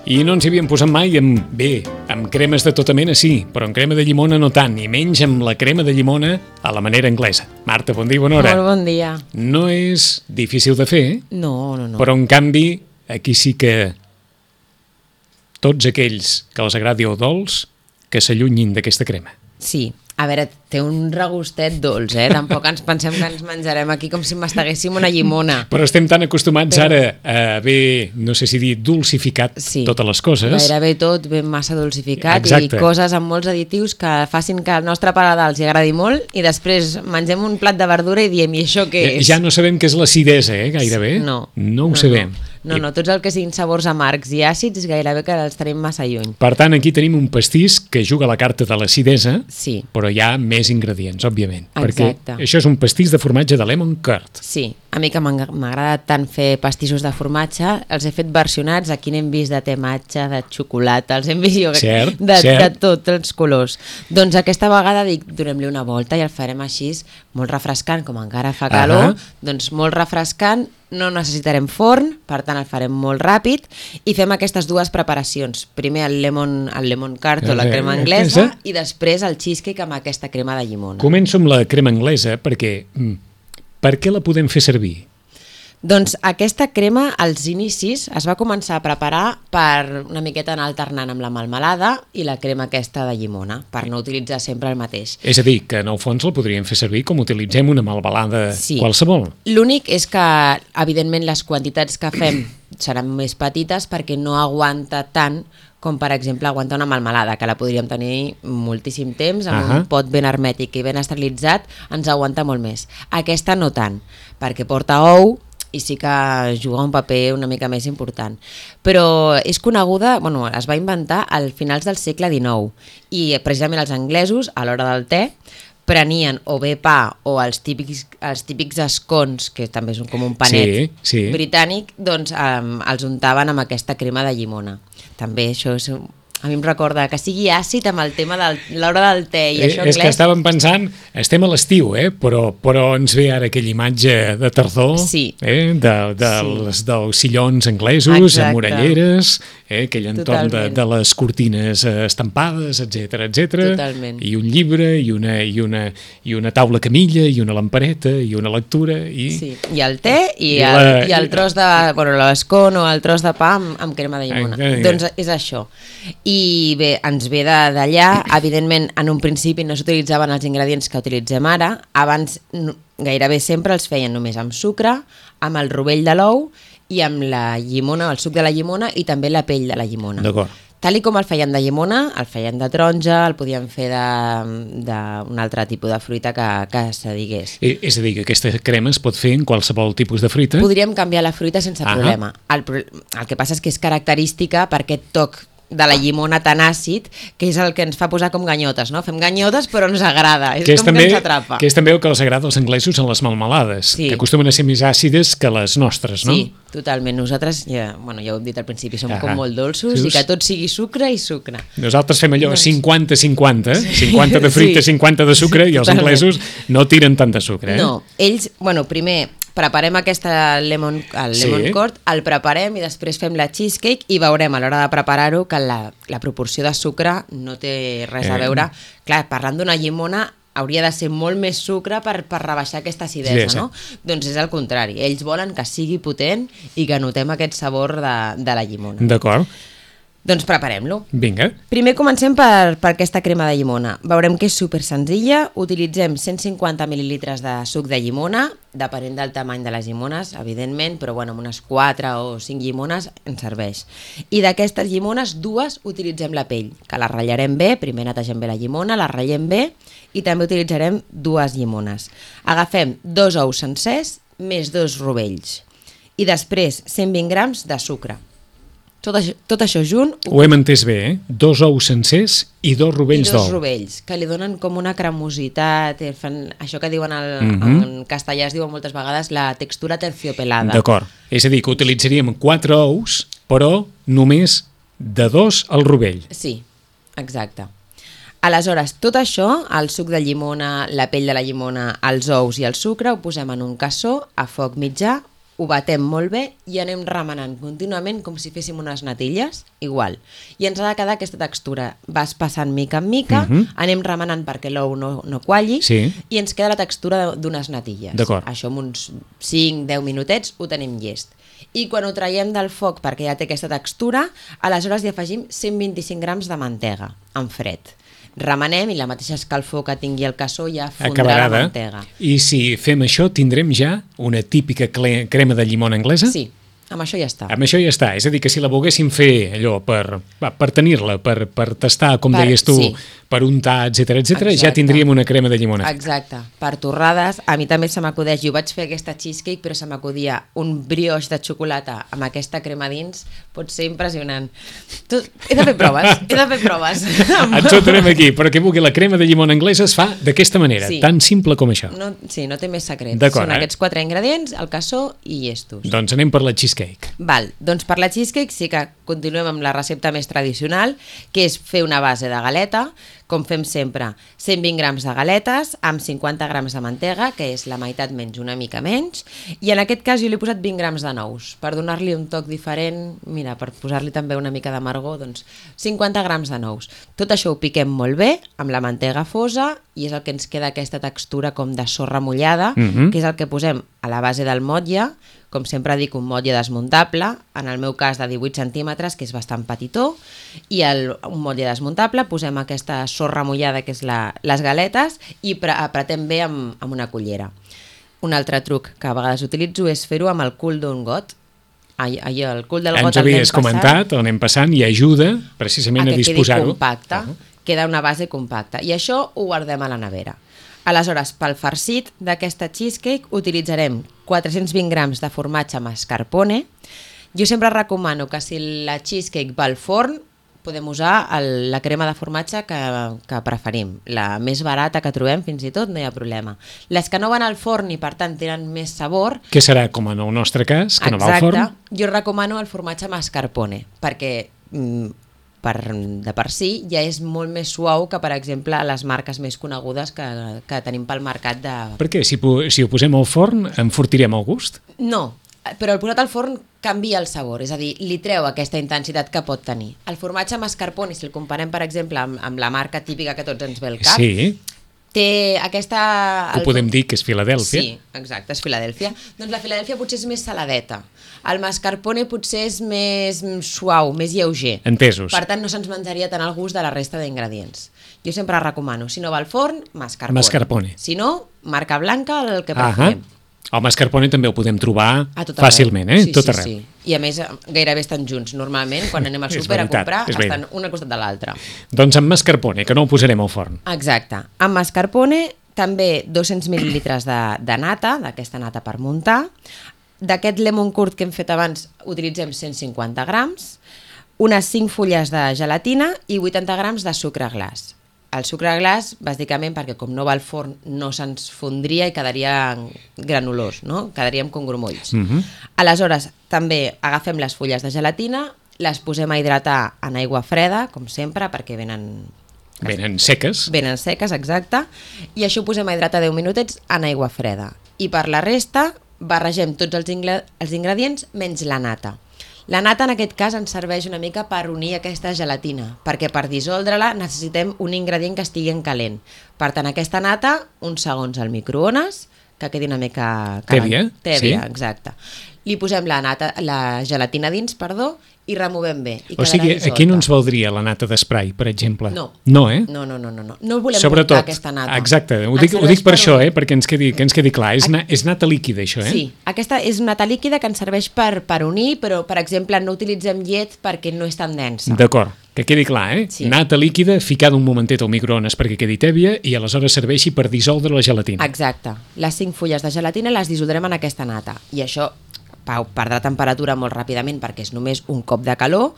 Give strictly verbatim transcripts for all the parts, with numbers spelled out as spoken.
I no ens hi havíem posat mai amb, bé, amb cremes de tota mena sí, però amb crema de llimona no tant, i menys amb la crema de llimona a la manera anglesa. Marta, bon dia, bona hora. Molt bon dia. No és difícil de fer, No, no, no. però en canvi aquí sí que tots aquells que els agradi el dolç que s'allunyin d'aquesta crema. Sí. A veure, té un regustet dolç, eh? Tampoc ens pensem que ens menjarem aquí com si masteguéssim una llimona. Però estem tan acostumats Però... ara a haver, no sé si dir, dulcificat sí. totes les coses. Gairebé tot ben massa dulcificat. Exacte. I coses amb molts additius que facin que al nostre paladar els agradi molt i després mengem un plat de verdura i diem, i això què és? Ja no sabem què és l'acidesa, eh, gairebé. No. No ho no, sabem. No. No, no, tots el que siguin sabors amargs i àcids gairebé que els tenim massa lluny. Per tant, aquí tenim un pastís que juga a la carta de l'acidesa, sí. però hi ha més ingredients, òbviament. Exacte. Perquè això és un pastís de formatge de lemon curd. Sí, a mi que m'agrada tant fer pastissos de formatge, els he fet versionats, aquí n'hem vist de tematge, de xocolata, els hem vist jo, cert, de, cert. de tots els colors. Doncs aquesta vegada dic, donem-li una volta i el farem així, molt refrescant, com encara fa calor, uh-huh. doncs molt refrescant, no necessitarem forn, per tant el farem molt ràpid i fem aquestes dues preparacions. Primer el lemon, el lemon curd o la crema anglesa i després el cheesecake amb aquesta crema de llimona. Començo amb la crema anglesa perquè per què la podem fer servir? Doncs aquesta crema als inicis es va començar a preparar per una miqueta anar alternant amb la melmelada i la crema aquesta de llimona, per no utilitzar sempre el mateix. És a dir, que en el fons la podríem fer servir com utilitzem una melmelada sí. qualsevol. L'únic és que, evidentment, les quantitats que fem seran més petites perquè no aguanta tant com, per exemple, aguanta una melmelada, que la podríem tenir moltíssim temps, amb uh-huh. un pot ben hermètic i ben esterilitzat, ens aguanta molt més. Aquesta no tant, perquè porta ou, i sí que juga un paper una mica més important. Però és coneguda, bueno, es va inventar al finals del segle dinou i precisament els anglesos, a l'hora del te, prenien o bé pa o els típics, els típics escons, que també és un, com un panet sí, sí. britànic, doncs um, els untaven amb aquesta crema de llimona. També això és... A mi em recorda que sigui àcid amb el tema de l'hora del te i eh, això anglès. És que estàvem pensant, estem a l'estiu, eh? però, però ens ve ara aquella imatge de tardor, sí. eh? de, de sí. les, dels sillons anglesos, exacte. amb orelleres, eh? aquell entorn de, Totalment. de les cortines estampades, etcètera, etcètera. Totalment. I un llibre, i una, i, una, i una taula camilla, i una lampareta, i una lectura. I, sí. I el te i, i, el, la, i el tros de... Bueno, l'escon o el tros de pa amb, amb crema de llimona. Eh, eh, doncs és això. I bé, ens ve d'allà, evidentment en un principi no s'utilitzaven els ingredients que utilitzem ara, abans gairebé sempre els feien només amb sucre, amb el rovell de l'ou i amb la llimona, el suc de la llimona i també la pell de la llimona. D'acord. Tal i com el feien de llimona, el feien de taronja, el podien fer d'un altre tipus de fruita que, que se digués. Eh, és a dir, que aquesta crema es pot fer en qualsevol tipus de fruita? Podríem canviar la fruita sense ah problema. El, el que passa és que és característica per aquest toc de la llimona tan àcid, que és el que ens fa posar com ganyotes, no? Fem ganyotes però ens agrada, és, que és com també, que ens atrapa. Que és també el que els agrada als anglesos en les melmelades, sí. que acostumen a ser més àcides que les nostres, no? Sí, totalment. Nosaltres, ja, bueno, ja ho hem dit al principi, som ah, com molt dolços sí, i que tot sigui sucre i sucre. Nosaltres fem allò doncs... cinquanta cinquanta, cinquanta de fruita, sí. cinquanta de sucre, i els totalment. Anglesos no tiren tant de sucre. Eh? No, ells, bueno, primer... preparem aquesta lemon, el lemon sí. curd, el preparem i després fem la cheesecake i veurem a l'hora de preparar-ho que la, la proporció de sucre no té res a veure. Eh. Clar, parlant d'una llimona hauria de ser molt més sucre per, per rebaixar aquesta acidesa, sí, no? Sí. Doncs és el contrari. Ells volen que sigui potent i que notem aquest sabor de, de la llimona. D'acord. Doncs preparem-lo. Vinga. Primer comencem per, per aquesta crema de llimona. Veurem que és super senzilla. Utilitzem cent cinquanta mil·lilitres de suc de llimona, depenent del tamany de les llimones, evidentment, però bueno, amb unes quatre o cinc llimones ens serveix. I d'aquestes llimones, dues utilitzem la pell, que la ratllarem bé, primer netegem bé la llimona, la ratllem bé i també utilitzarem dues llimones. Agafem dos ous sencers més dos rovells i després cent vint grams de sucre. Tot això, tot això junt... Ho hem entès bé, eh? Dos ous sencers i dos rovells d'ou. I dos rovells, que li donen com una cremositat, fan això que diuen el, mm-hmm. en castellà es diuen moltes vegades la textura terciopelada. D'acord, és a dir, que utilitzaríem quatre ous, però només de dos al rovell. Sí, exacte. Aleshores, tot això, el suc de llimona, la pell de la llimona, els ous i el sucre, ho posem en un cassó a foc mitjà, ho batem molt bé i anem remenant contínuament com si féssim unes natilles, igual. I ens ha de quedar aquesta textura. Vas passant mica en mica, uh -huh. anem remenant perquè l'ou no, no qualli, sí. i ens queda la textura d'unes natilles. Això amb uns cinc deu minutets ho tenim llest. I quan ho traiem del foc perquè ja té aquesta textura, aleshores hi afegim cent vint-i-cinc grams de mantega en fred. Remenem i la mateixa escalfor que tingui el cassó ja fondrà Acabarà la mantega. I si fem això, tindrem ja una típica crema de llimona anglesa? Sí, amb això ja està. Amb això ja està. És a dir, que si la volguéssim fer allò per, per tenir-la, per, per tastar, com per, deies tu, sí. per untar, etcètera, etcètera, ja tindríem una crema de llimona. Exacte. Per torrades, a mi també se m'acudeix, jo vaig fer aquesta cheesecake, però se m'acudia un brioix de xocolata amb aquesta crema dins, pot ser impressionant. Tu, he de fer proves, he de fer proves. Ens ho tenim aquí, però que vulgui, la crema de llimona anglesa es fa d'aquesta manera, sí. tan simple com això. No, sí, no té més secrets. Són eh? aquests quatre ingredients, el cassó i llestos. Doncs anem per la cheesecake. Val, doncs per la cheesecake sí que continuem amb la recepta més tradicional, que és fer una base de galeta, com fem sempre, cent vint grams de galetes amb cinquanta grams de mantega, que és la meitat menys, una mica menys, i en aquest cas jo li he posat vint grams de nous, per donar-li un toc diferent, mira, per posar-li també una mica d'amargor, doncs cinquanta grams de nous. Tot això ho piquem molt bé, amb la mantega fosa, i és el que ens queda aquesta textura com de sorra mullada, mm-hmm. que és el que posem a la base del motlle, com sempre dic, un motlle desmuntable, en el meu cas de divuit centímetres, que és bastant petitó, i el, un motlle desmuntable, posem aquesta sorra mullada, que és la, les galetes, i pre apretem bé amb, amb una cullera. Un altre truc que a vegades utilitzo és fer-ho amb el cul d'un got. Allò, el cul del got Ens havies comentat, on anem passant, i ajuda precisament a, a disposar-ho. Que quedi compacte, uh -huh. queda una base compacta, i això ho guardem a la nevera. Aleshores, pel farcit d'aquesta cheesecake utilitzarem quatre-cents vint grams de formatge mascarpone. Jo sempre recomano que si la cheesecake va al forn, podem usar el, la crema de formatge que, que preferim. La més barata que trobem, fins i tot, no hi ha problema. Les que no van al forn i, per tant, tenen més sabor... Què serà, com en el nostre cas, que Exacte, no va al forn? Jo recomano el formatge mascarpone, perquè... Mm, Per, de per si ja és molt més suau que, per exemple, les marques més conegudes que, que tenim pel mercat de... Per què? Si, si ho posem al forn, enfortirem el gust? No, però el posat al forn canvia el sabor, és a dir, li treu aquesta intensitat que pot tenir. El formatge mascarpone, si el comparem, per exemple, amb, amb la marca típica que tots ens ve al cap, sí. té aquesta... Ho podem dir que és Filadèlfia. Sí, exacte, és Filadèlfia. Doncs la Filadèlfia potser és més saladeta. El mascarpone potser és més suau, més lleuger. Entesos. Per tant, no se'ns menjaria tant el gust de la resta d'ingredients. Jo sempre recomano, si no va al forn, mascarpone. Mascarpone. Si no, marca blanca, el que preferim. El mascarpone també ho podem trobar fàcilment, eh? Sí, tot sí, arreu. Sí. I a més, gairebé estan junts. Normalment, quan anem al súper a comprar, estan un al costat de l'altre. Doncs amb mascarpone, que no ho posarem al forn. Exacte. Amb mascarpone, també dos-cents mil·lilitres de, de nata, d'aquesta nata per muntar. D'aquest lemon curd que hem fet abans utilitzem cent cinquanta grams, unes cinc fulles de gelatina i vuitanta grams de sucre glaç. El sucre glaç, bàsicament, perquè com no va al forn no se'ns fondria i quedaria granulós, no? Quedaríem com grumolls. Uh-huh. Aleshores, també agafem les fulles de gelatina, les posem a hidratar en aigua freda, com sempre, perquè venen... Venen seques. Venen seques, exacte. I això ho posem a hidratar deu minutets en aigua freda. I per la resta barregem tots els, ingre els ingredients menys la nata. La nata en aquest cas ens serveix una mica per unir aquesta gelatina, perquè per dissoldre-la necessitem un ingredient que estigui en calent. Per tant, aquesta nata, uns segons al microones, que quedi una mica... Tèbia, Tèbia, sí. Exacte. Li posem la, nata, la gelatina dins, perdó, i removem bé. I o sigui, aquí no ens valdria la nata d'esprai, per exemple? No. No, eh? No, no, no, no. No, no volem Sobretot, aquesta nata. Exacte, ho dic, ho dic per, per això, eh? Perquè ens quedi, que ens quedi clar. És, na, és nata líquida, això, eh? Sí, aquesta és nata líquida que ens serveix per, per unir, però, per exemple, no utilitzem llet perquè no és tan densa. D'acord, que quedi clar, eh? Sí. Nata líquida ficada un momentet al microones perquè quedi tèbia i aleshores serveixi per dissoldre la gelatina. Exacte. Les cinc fulles de gelatina les dissoldrem en aquesta nata. I això perdrà temperatura molt ràpidament perquè és només un cop de calor.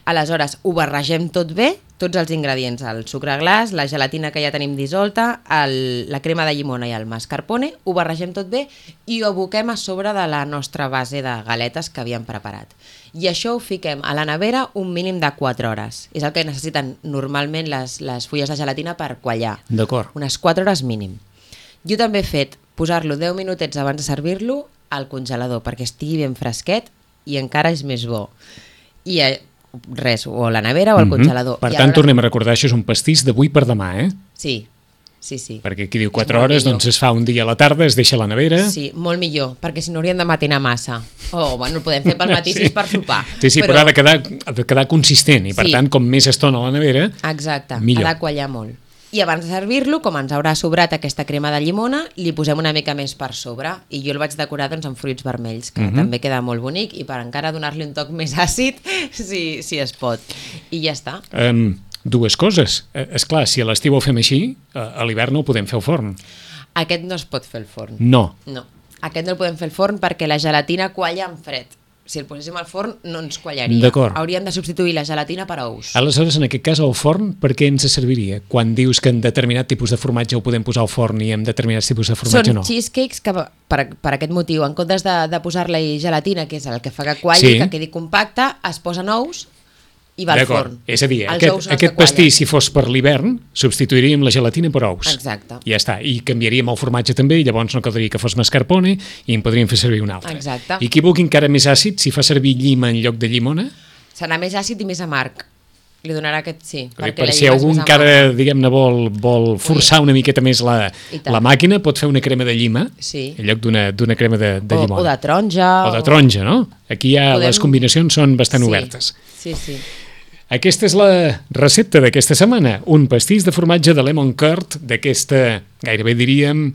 Aleshores ho barregem tot bé, tots els ingredients, el sucre glaç, la gelatina que ja tenim dissolta, el, la crema de llimona i el mascarpone, ho barregem tot bé i ho aboquem a sobre de la nostra base de galetes que havíem preparat. I això ho fiquem a la nevera un mínim de quatre hores. És el que necessiten normalment les, les fulles de gelatina per quallar. D'acord. Unes quatre hores mínim. Jo també he fet posar-lo deu minutets abans de servir-lo al congelador perquè estigui ben fresquet i encara és més bo. I eh, res, o a la nevera o al mm-hmm. congelador. Per I tant, ara... tornem a recordar, això és un pastís d'avui per demà, eh? Sí, sí, sí. Perquè aquí diu quatre hores, millor. Doncs es fa un dia a la tarda, es deixa a la nevera... Sí, molt millor, perquè si no hauríem de matinar massa. O, bueno, el podem fer pel matí sí. si és per sopar. Sí, sí, però, però ha de quedar, ha de quedar consistent i, per sí. tant, com més estona a la nevera, exacte, millor. Ha de quallar molt. I abans de servir-lo, com ens haurà sobrat aquesta crema de llimona, li posem una mica més per sobre. I jo el vaig decorar doncs, amb fruits vermells, que uh-huh. també queda molt bonic, i per encara donar-li un toc més àcid, si, si es pot. I ja està. Um, dues coses. Eh, és clar, si a l'estiu ho fem així, a l'hivern no ho podem fer al forn. Aquest no es pot fer al forn. No. No. Aquest no el podem fer al forn perquè la gelatina qualla en fred. Si el poséssim al forn no ens quallaria. D'acord. Hauríem de substituir la gelatina per ous. Aleshores, en aquest cas, el forn, per què ens serviria? Quan dius que en determinat tipus de formatge ho podem posar al forn i en determinats tipus de formatge Són no? Són cheesecakes que, per, per aquest motiu, en comptes de, de posar-li gelatina, que és el que fa que qualli, sí. que quedi compacte, es posen ous i va al forn. És a dir, aquest, aquest pastís, si fos per l'hivern, substituiríem la gelatina per ous. Exacte. I ja està. I canviaríem el formatge també, i llavors no caldria que fos mascarpone i en podríem fer servir un altre. Exacte. I qui vulgui encara més àcid, si fa servir llima en lloc de llimona? Serà més àcid i més amarg. Li donarà aquest sí. Per si algú encara, diguem-ne, vol, vol forçar una miqueta més la, la màquina, pot fer una crema de llima sí. en lloc d'una crema de, de llimona. O, o de taronja. O de taronja, no? Aquí ja Podem... les combinacions són bastant sí. obertes. Sí, sí. Aquesta és la recepta d'aquesta setmana, un pastís de formatge de lemon curd d'aquesta, gairebé diríem,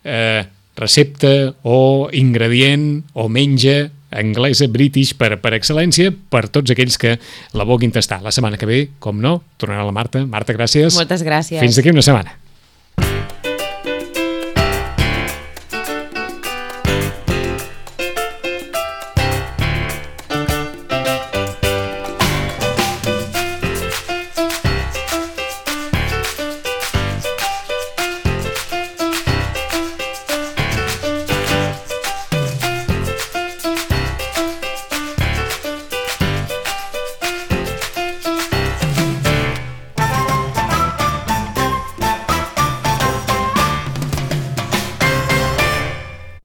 eh, recepta o ingredient o menja anglesa, british, per, per excel·lència, per tots aquells que la vulguin tastar. La setmana que ve, com no, tornarà la Marta. Marta, gràcies. Moltes gràcies. Fins d'aquí una setmana.